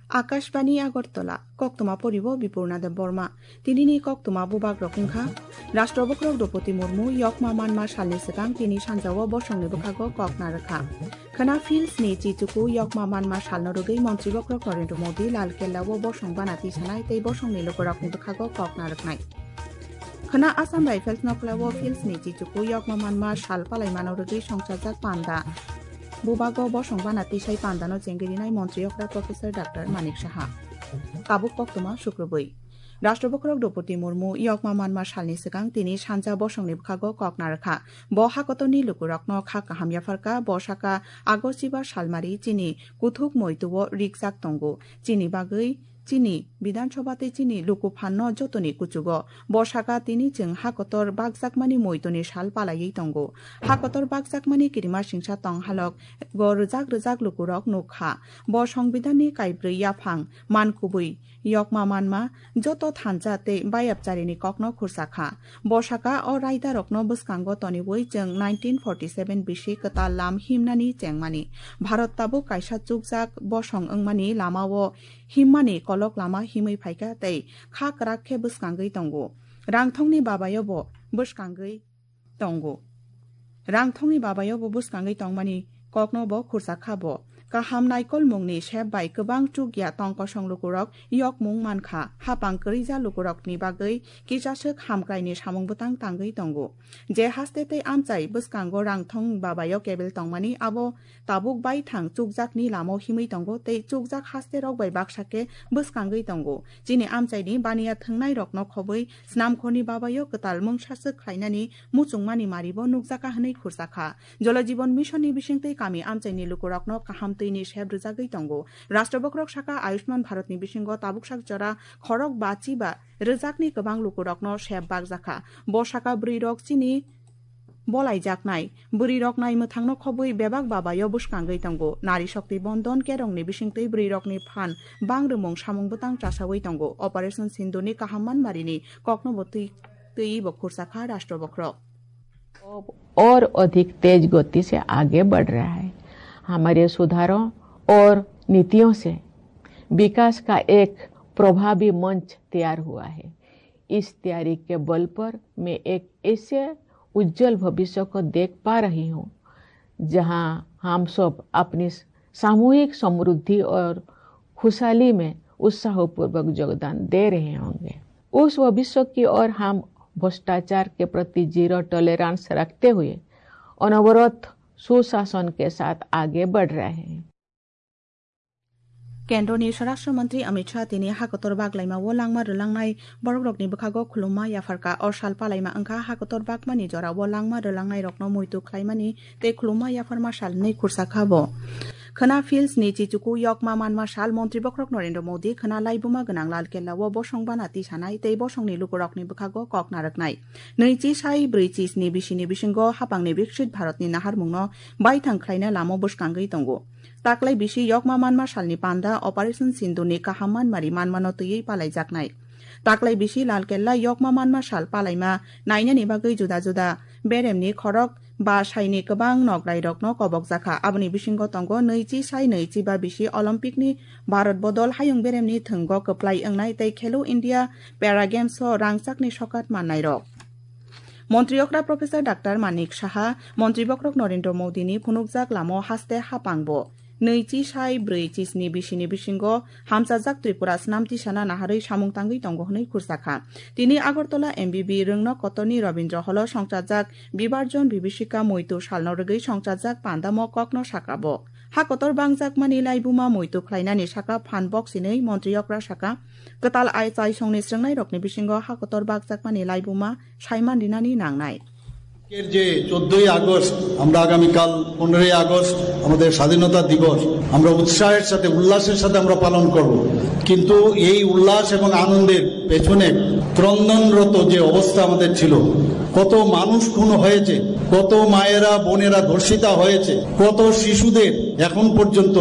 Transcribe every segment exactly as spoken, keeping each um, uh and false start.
Akashbani Agartala, koktwma poribo Bipurna Debbarma. Tinini koktwma bubagrok wngkha, Rashtra Bokhorok Droupadi Murmu yokma manma salni swkang tini sanjao bosongni bwkhago kok narwkha. Khwna Phils ni chichuku yokma manma salno rwgwi Montri Bokhorok Narendra Modi Lal Kella o bosong bana tisanai tei bosongni lukurokni bwkhago kok narwknai. Khwna Assam Rifles no kla o Phils ni chichuku yokma manma sal palaimano rwgwi songchajak panda. Bubago bosong bana tisai pandano chengwi rinai Montri okra Professor Doctor Manik Saha. Tabuk koktwma Sukrubwi. Rashtra Bokhorok Droupadi Murmu yokma manma salni swkang tini sanja bosongni bwkhago kok narwkha. Bo hakotorni lukurokno kha kaham yapharkha, bo sakha, Agost chiba salmari chini kuthuk moituo rikjak tongo. Chini bagwi chini Bidhan Sabha tei chini luku phanno jotoni kuchugo. Bo sakha tini chwng hakotor bakjakmani moitoni sal palaiwi tongo. Hakotor bakjakmani kirima singsa tong halok go rwjak rwjak lukurok nukha. Bo Songbidanni kaibrwi yaphang man kubui yokma manma joto thansa tei bayapcharini kokno khursa kha. Bo sakha o raidarokno bwskango toniwi chwng nineteen forty seven bisi kwtal lam himnani chengmani. Bharat tabuk kaisa chukjak bosong wngmani lamao himmani kolok lama himwi phaikha tei kha kwrak khe bwskangwi tongo. Rangthongni babayobo bwskangwi tongo. Rangthongni babayobo bwskangwi tongmani kokno bo khursa kha bo. Kaham naikolmungni sep bai kwbang chukya tong kosong lukurok yokmung mankha. Hapang kwrwija lukurokni bagwi kisaswk hamkraini samung bwtang tangwi tongo. Je haste tei amchai bwskango rangthong babayo kebel tongmani abo tabuk baithang chukjakni lamo himwi tongo tei chukjak hasterok bai baksa khe bwskangwi tongo. Chini amchaini baniya thwngnairokno khobwi snamkhorni babayo kwtal mungsaswk khlainani muchungmani maribo nukjakha hwnwi khursa kha. Jal Jeevan Mission ni bisingtwi kami amchaini lukurokno kaham twini sep rwjagwi tongo. Rashtra Bokhorok sakha Ayushman Bharat ni bisingo tabuksak jora khorok bachi ba rwjakni kwbang lukurokno sep bakjakha. Bo sakha bwrwirok chini bolaijaknai. Bwrwirok naimwthangno khobwi bebak babayo bwskangwi tongo. Nari Shakti Bandhan kerongni bisingtwi bwrwirokni phan bangrwmung samung bwtang chasawi tongo. Operation Sindhurni kaham manmarini koknobo twi, twiwi bo khursa kha Rashtra Bokhorok. और अधिक तेज गति से आगे बढ़ रहा है। हमारे सुधारों और नीतियों से विकास का एक प्रभावी मंच तैयार हुआ है। इस तैयारी के बल पर मैं एक ऐसे उज्जवल भविष्य को देख पा रही हूँ, जहाँ हम सब अपनी सामूहिक समृद्धि और खुशहाली में उत्साहपूर्वक योगदान दे रहे होंगे। उस भविष्य की ओर हम भ्रष्टाचार के प्रति जीरो टॉलरेंस रखते हुए अनवरत सुशासन के साथ आगे बढ़ रहे हैं। Kendroni Swarashtra Mantri Amit Shah tini hakotor baglaima o langma rwlangnai borokrokni bwkhago khulumma yapharkha. O sal palaima wngkha hakotor bagmani jorao langma rwlangnairokno muitu khlaimani tei khulumma yapharma sal hwnwi khursa kha bo. Khwna Phils ni chichuku yokma manma sal Montri Bokhorok Narendra Modi khwna laibuma gwnang Lal Kella o bosong bana tisanai tei bosongni lukurokni bwkhago kok narwknai. Nwichi sai brwichi sni bisini bisingo hapangni Viksit Bharatni naharmungno baithang khlaina lama bwskangwi tongo. Taklai bisi yokma manma salni panda Operation Sindhurni kaham manmari manmano twiwi palaijaknai. Taklai bisi Lal Kella yokma manma sal palaima nainani bagwi juda juda beremni khorok ba saini kwbang nograirokno kobokjakha. Aboni bisingo tongo nwichi sai nwichi ba bisi Olympicni Bharat bodol hayung beremni thwngo kwplai wngnai tei Khelo India Para Games o rangchakni sokat mannairok. Montri okra Professor Doctor Manik Saha, Montri bokhorok Narendra Modini phunukjak lamo haste hapangbo. Nwichi sai brwichi sni bisini bisingo hamchajak Tripura snam tisana naharwi samung tangwi tongo hwnwi khursa kha. Tini Agartala M B B Rwngno Kotorni Rabindra Hall-o songchajak Bibarjon Bibhishika Moitu salno rwgwi songchajak pandamo kokno sakha bo. Ha kotor bangjakmani laibuma moitu khlainani sakha phan boksinwi Montri okra sakha, kwtal ai chaisongni srwngnairokni bisingo ha kotor bangjakmani laibuma saiman rinani nangnai. এর যে চোদ্দই আগস্ট, আমরা আগামীকাল পনেরোই আগস্ট আমাদের স্বাধীনতা দিবস, আমরা উৎসাহের সাথে, উল্লাসের সাথে আমরা পালন করব। কিন্তু এই উল্লাস এবং আনন্দের পেছনে ক্রন্দনরত যে অবস্থা আমাদের ছিল, কত মানুষ খুন হয়েছে, কত মায়েরা বোনেরা ধর্ষিতা হয়েছে, কত শিশুদের এখন পর্যন্ত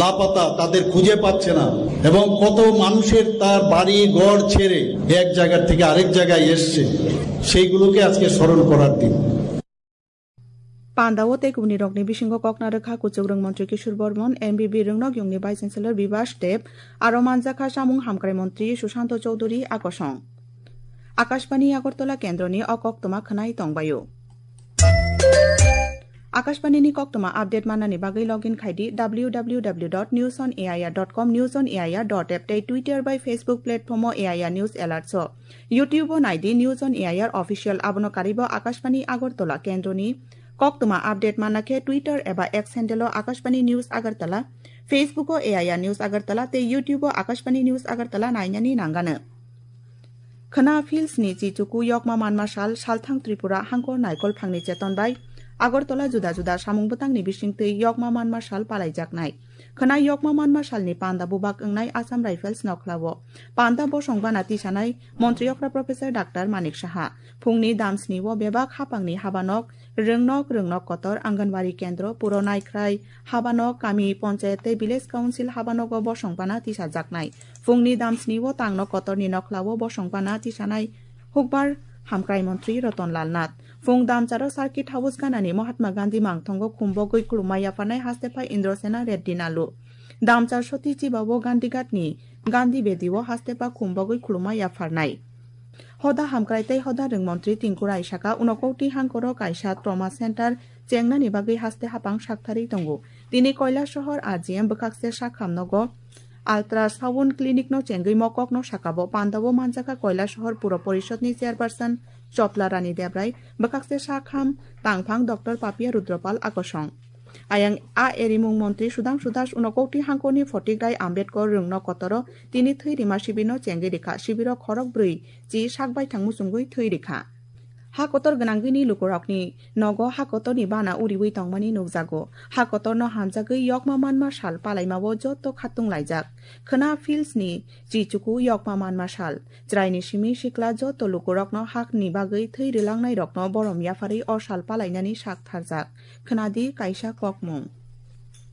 লাপাতা, তাদের খুঁজে পাচ্ছে না, এবং কত মানুষের তার বাড়ি ঘর ছেড়ে এক জায়গা থেকে আরেক জায়গায় এসছে। সেইগুলোকে আজকে স্মরণ করার দিন। Panda o tei kubuni rokni bisingo kokna rwkha kuchuk rwng montri Kishore Bormon, M B B rwngnok yungni Vice Chancellor Bibas Deb, aro manjakha chamung hamkrai montri Sushanto Chowdhury akosong. Akashbani Agartala kendroni o koktwma khwnai tongbaio. Akashbani ni koktwma update manani bagwi login khai di W W W dot news on A I R dot com, news on A I R dot app tei Twitter bai Facebook platform o A I R News Alerts o. YouTube o nai di News on A I R Official, abono karwi bo Akashbani Agartala kendroni koktwma update manna khe Twitter eba X handle o Akashbani News Agartala, Facebook o A I R News Agartala tei YouTube o Akashbani News Agartala nainani nangano. Khwna phil sni chichuku yokma manma sal, salthang Tripura hangkor naikol phangni cheton bai Agartala juda juda samung bwtangni bisingtwi yokma manma sal palaijaknai. Khwna yokma manma salni panda bubak wngnai Assam Rifles nokhlao. Panda bosong bana tisanai Montri okra Professor Doctor Manik Saha. Phungni dam sni o bebak hapangni habanok, rwngnok, rwngnok kotor, Anganwadi kendro, puro naikhrai habanok, kami ponchayat tei village council habanogo bosong bana tisajaknai. Phungni dam sni o tangno kotorni nokhlao bosong bana tisanai hukbar hamkrai montri Ratan Lal Nath. Phung damcharo Circuit House ganani Mahatma Gandhi mangthongo khumbogwi khulumma yapharnai haste phai Indrasena Reddy Nalu. Damchar soti chibao Gandhi Ghat ni Gandhi Bedi o haste pa khumbogwi khulumma yapharnai. Hoda hamkrai tei hoda rwng montri Tinku Rai saka, unokoti hangkoro kaisa trauma center chengnani bagwi haste hapang saktharwi tongo. Tini Kailasohor R G M bwkhakse sakham nogo ultrasound clinic no chengwi mokok no sakabo. Panda o manjakha Kailasohor Puro Porishod ni chairperson Chopla Rani Debrai, bwkhakse sakham tangphang Doctor Papia Rudropal akosong. Ayang a erimung montri Sudhangshu Das unokoti hangkoni Photigrai Ambedkar rwngno kotoro tini thwi rima sibirno chengwi rikha. Sibiro khorok brwi chi sak baithang muchungwi thwi rikha. Ha kotor gwnangwini lukurokni nogo ha kotorni bana uriwi tongmani nukjago. Ha kotorno hamjagwi yokma manma sal palaimao joto khatung laijak. Khwna phil sni chichuku yokma manma sal. Chwraini simi sikla joto lukurokno hakni bagwi thwi rwlangnairokno borom yapharwi o sal palainani sak tharjak. Khwnadi kaisa kokmung.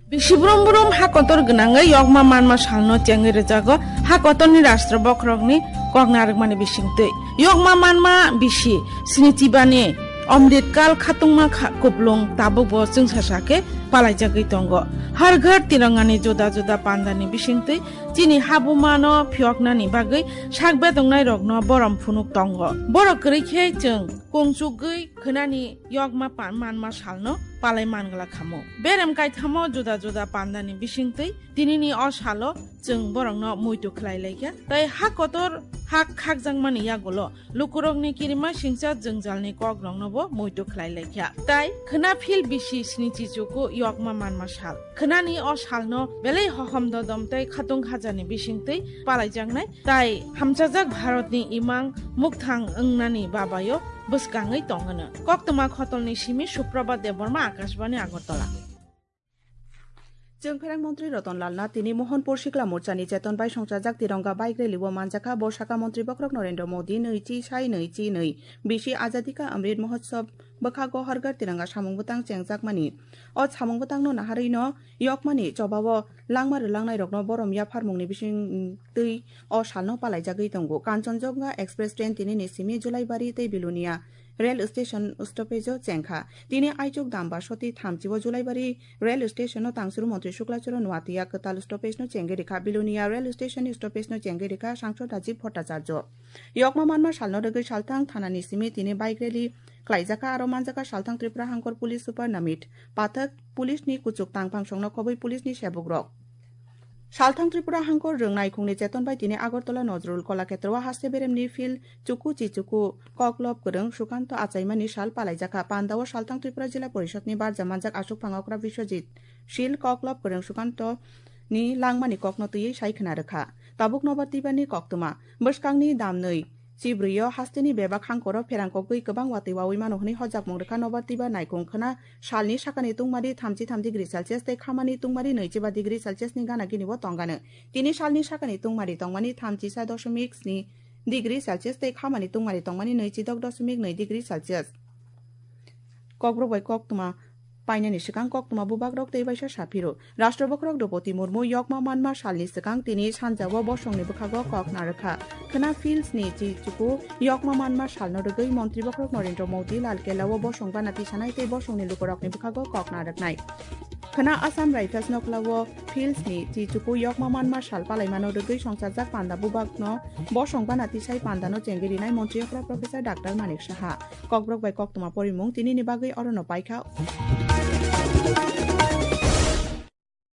Bisi brum brum ha kotor gwnangwi yokma manma salno chengwi rwjago ha kotorni rashtra bokhorokni kok narwkmani bisingtwi. Yokma manma bisi snichibani Omritkal khatungma kha-, kuplung tabukbo chwngsasa khe palaijagwi tongo. Har Ghar Tirangani juda juda pandani bisingtwi chini habumano phiyoknani bagwi sak betongnairokno borom phunuk tongo. Borok kwrwi khe chwng kungchukgwi khwnani yokma pa-, manma salno palai mangla khamu. Berem kaithamo juda juda pandani bisingtwi tinini o salo chwng borokno muitu khlai laikha. Tai ha kotor ha khakjakmani yagulo lukurokni kirima singcha jwngjalni kokroknobo muitu khlai laikha. Tai khwna phil bisi snichi chuku yokma manma sal. Khwnani o salno belai hohom dodom tei khatung khajani bisingtwi palaijaknai. Tai hamchajak Bharatni imang mukthang wngnani babayo bwskangwi tongwno. Koktwma khotolni simi Suprabha Debbarma, Akashbani, Agartala. Chwng pherang montri Ratan Lal Nath tini Mohanpur Sikla Morchani cheton bai songchajak Tironga bike rally o manjakha. Bo saka montri bokhorok Narendra Modi nui chi sai nui chi nui bisi Azadi Ka Amrit Mahotsav bwkhago Har Ghar Tiranga samung bwtang chengjakmani. O samung bwtangno naharwino yokmani chobao langma rwlangnairokno borom yapharmungni bisingtwi o salno palaijagwi tongo. Kanchanjunga Express train tinini simi Julaibari tei Bilonia rail station stoppage-o chengkha. Tini aichuk damba soti thamchi o Julaibari rail station-o tangsuru montri Shukla Charan Noatia kwtal stoppage-no chengwi rikha. Bilonia rail station-ni stoppage-no chengwi rikha Sangsad Rajiv Bhattacharya. Yokma manma salno rwgwi salthang thanani simi tini bike rally khlaijakha, aro manjakha salthang Tripura Hangkor Police Super Namit Pathak, police-ni kuchuk tangphang songno khobwi police-ni sebukrok. Salthang Tripura Hangkor rwng naikhungni cheton bai tini Agartala Nazrul Kalakshetra o haste beremni field chuku chi chuku koklop kwrwng Sukanto achaimani sal palaijakha. Pandao salthang Tripura Jila Porishadni barja manjak aswk phangokra Biswajit Sil koklop kwrwng Sukantoni langmani kokno twiwi sai khwna rwkha. Tabuk nobar twibani koktwma. Bwskangni damnwi chibrwi o hasteni bebak hangkoro pherang kogwi kwbang watwi wawi mano hwnwi hojakmung rwkha nobar twiba naikhung khwna salni sakani tungmari thamchi tham degree Celsius tei khamani tungmari nui chiba degree Celsius ni gana gini bo tongano. Tini salni sakani tungmari tongmani thamchi sa doshomik sni degree Celsius tei khamani tungmari tongmani nui chidok doshomik nui degree Celsius. Kokborok bai koktwma. painani swkang koktwma bubagrok tei baisa saphiro. Rashtra bokhorok Droupadi Murmu yokma manma salni swkang tini sanjao bosongni bwkhago kok narwkha. Khwna Fields ni chichuku yokma manma salno rwgwi Montri bokhorok Narendra Modi Lal Kella o bosong bana tisanai tei bosongni lukurokni bwkhago kok narwknai. Khwna Assam Rifles noklao Fields ni chichuku yokma manma sal palaimano rwgwi songchajak panda bubakno bosong bana tisai pandano chengwi rinai Montri okra Professor Doctor Manik Saha. Kokborok bai koktwma porimung tinini bagwi orono paikha.